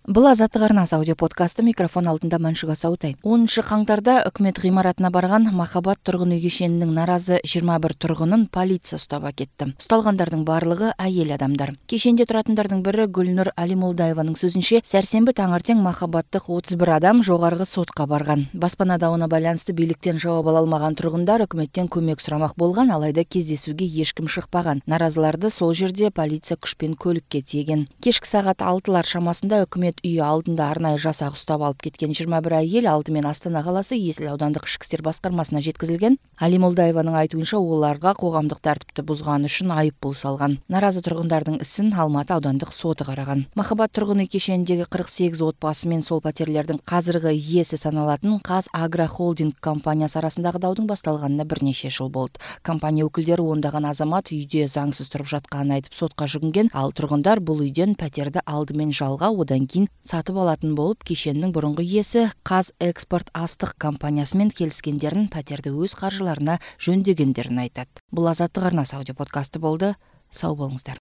Бул Азаттык арнасы аудио подкасты, микрофон алдында Маншуга Саутай. 10 каңтарда өкмөт гыймаратына барган Махаббат тургун үй кешенинин наразы 21 тургунун полиция уктап акетти. Укталгандардын баардыгы айыл адамдар. Кешенде туратындардын бири Гүлнур Алимулдаеванын сөзүнчө, сәрсенби таңертең Махаббаттык 31 адам жогорку сотко барган. Баспана дабына байланыштуу бийликтен жооп ала алмаган тургундар өкмөттөн көмөк сурамак болгон, алайда кездесүүгө эч ким шыкпаган. Наразыларды сол жерде полиция күчпен көлүккө тийген. Кечки саат 6 шамасында өкмөт үй алдында арнайы жасак уктап алып кеткен 21 айыл алды менен Астана каласы Есил аудандык ишки иштер баскармасына жеткизилген. Алимулдаеванын айтуунча, уларга коомдук тартипти бузганы үчүн айып пул салган. Наразы тургундардын исин Алматы аудандык соту караган. Махаббат тургун үй кешенидеги 48 отбасы менен сол патерлердин казыркы ээси саналатын Каз Агро Холдинг компаниясы арасындагы даудун башталганына бир нече жыл болду. Компания өкүлдөрү ондаган азамат үйдө заңсыз туруп жатканын айтып сотко жүгүнгөн. Ал тургундар бул үйдөн патерди алдымен жалга, одан кийин сатып алатын болуп, кишенин бурунку ээси Каз Экспорт астык компаниясы менен келишкендерин, патерди өз каржыларына жөндөгөндөрүн айтат. Бул Азаттык арнасы аудио подкасты болду. Сау болуңуздар.